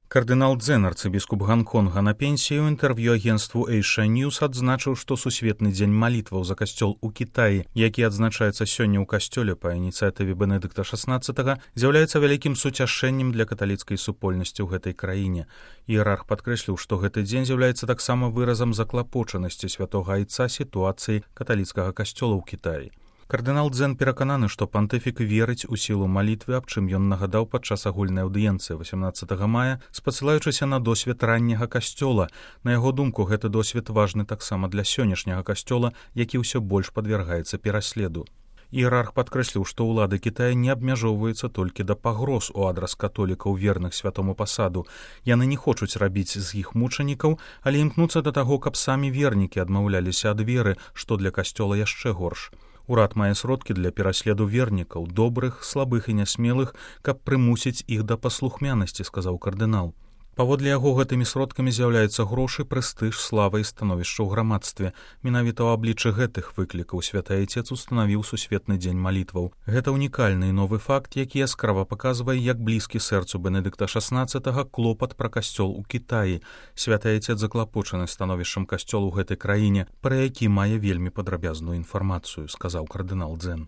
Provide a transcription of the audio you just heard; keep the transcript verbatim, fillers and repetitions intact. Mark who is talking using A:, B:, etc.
A: Кардынал Дзен, арцыбіскуп Гонконга, на пенсію ў інтэрв'ю агенству Asia News адзначыў, што сусветны дзень малітваў за касцёл у Кітаі, які адзначаецца сёння ў касцёле па ініцыятыве Бенедыкта шаснаццатага, з'яўляецца вялікім суцяшэннем для каталіцкай супольнасці ў гэтай краіне. Іерарх падкрэсліў, што гэты дзень з'яўляецца таксама выразам заклапочанасці святога айца сітуацыі каталіцкага касцёла ў Кітаі. Кардынал Дзен перакананы, што пантыфік верыць у сілу малітвы, аб чым ён нагадаў падчас агульнай аўдыенцыі васямнаццатага мая, спасылаючыся на досвед ранняга касцёла. На яго думку, гэты досвед важны таксама для сённяшняга касцёла, які ўсё больш падвяргаецца пераследу. Іерарх падкрэсліў, што ўлады Кітая не абмяжоўваюцца толькі да пагроз у адрас католікаў верных святому пасаду. Яны не хочуць рабіць з іх мучанікаў, але імкнуцца да таго, каб самі вернікі адмаўляліся ад веры, што для касцёла яшчэ горш. Урад мае сродкі для пераследу вернікаў, добрых, слабых і нясмелых, каб прымусіць іх да паслухмянасці, сказаў кардынал. Паводле яго гэтымі сродкамі з'яўляюцца грошы, прэстыж, слава і становішча ў грамадстве. Менавіта ў абліччы гэтых выклікаў святы айцец устанавіў сусветны дзень малітваў. Гэта ўнікальны і новы факт, які яскрава паказвае, як блізкі сэрцу Бенедыкта шаснаццатага клопат пра касцёл у Кітаі. Святы айцец заклапочаны становішчам касцёлу ў гэтай краіне, пра які мае вельмі падрабязную інфармацыю, сказаў кардынал Дзен.